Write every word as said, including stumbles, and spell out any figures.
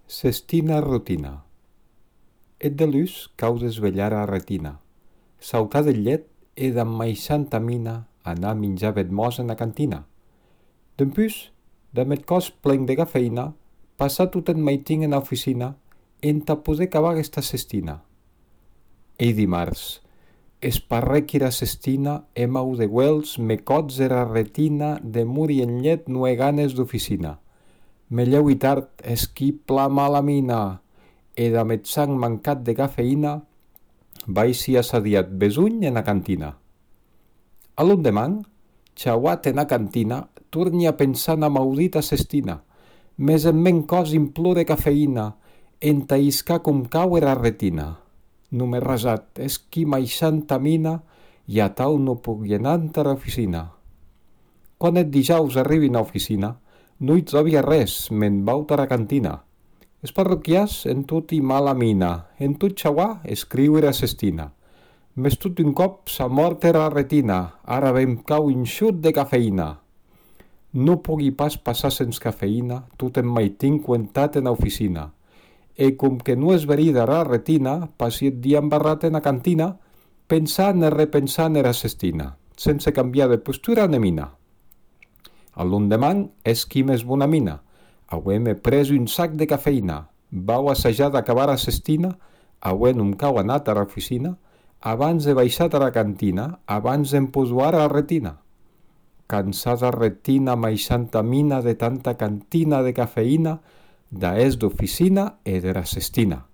Cestina rutina. Et de luz cau desvellar a retina. Sautar del llet e damb maixanta mina anar a minjar vedmós en a cantina. Dempús, damb eth còs plen de cafeïna, passar tot en maitin en a oficina entà poder cavar esta cestina. Ei dimarts, esparrec era cestina e mau de güels me cots era retina de muri en llet no he ganes d'oficina. Me lleui tard esqui pla mala mina, e damb eth sang mancat de cafeïna, vai si assadiat besunh en a cantina. A l'endeman, chauat en a cantina, torni a pensar na maudita cestina, mes en men cos implore cafeïna, entà iscar com cau era retina. Non m'he rasat, esqui maixanta mina, i a tau no puc anar entara oficina. Quan eth dijaus arribi a oficina, no hi trobia res, me'n vau tara cantina. Es parroquians en tot i mala mina, en tot xauar escriure a cestina. Mes tot un cop s'ha mort era retina, ara ben cau inxut de cafeïna. No pugui pas passar sens cafeïna, tot en maitin cuentat en a oficina. E com que no és verida era retina, passi eth dia embarrat en a cantina, pensant e repensant era cestina, sense canviar de postura ne mina. A l'endeman esqui mes bona mina, aué me pres un sac de cafeïna, vau assajar d'acabar a cestina, aué non cau anat a la oficina, abans de baixar a la cantina, abans d'emposuar a la retina. Cansada retina maixanta mina de tanta cantina de cafeïna, d'aes d'oficina e de la cestina.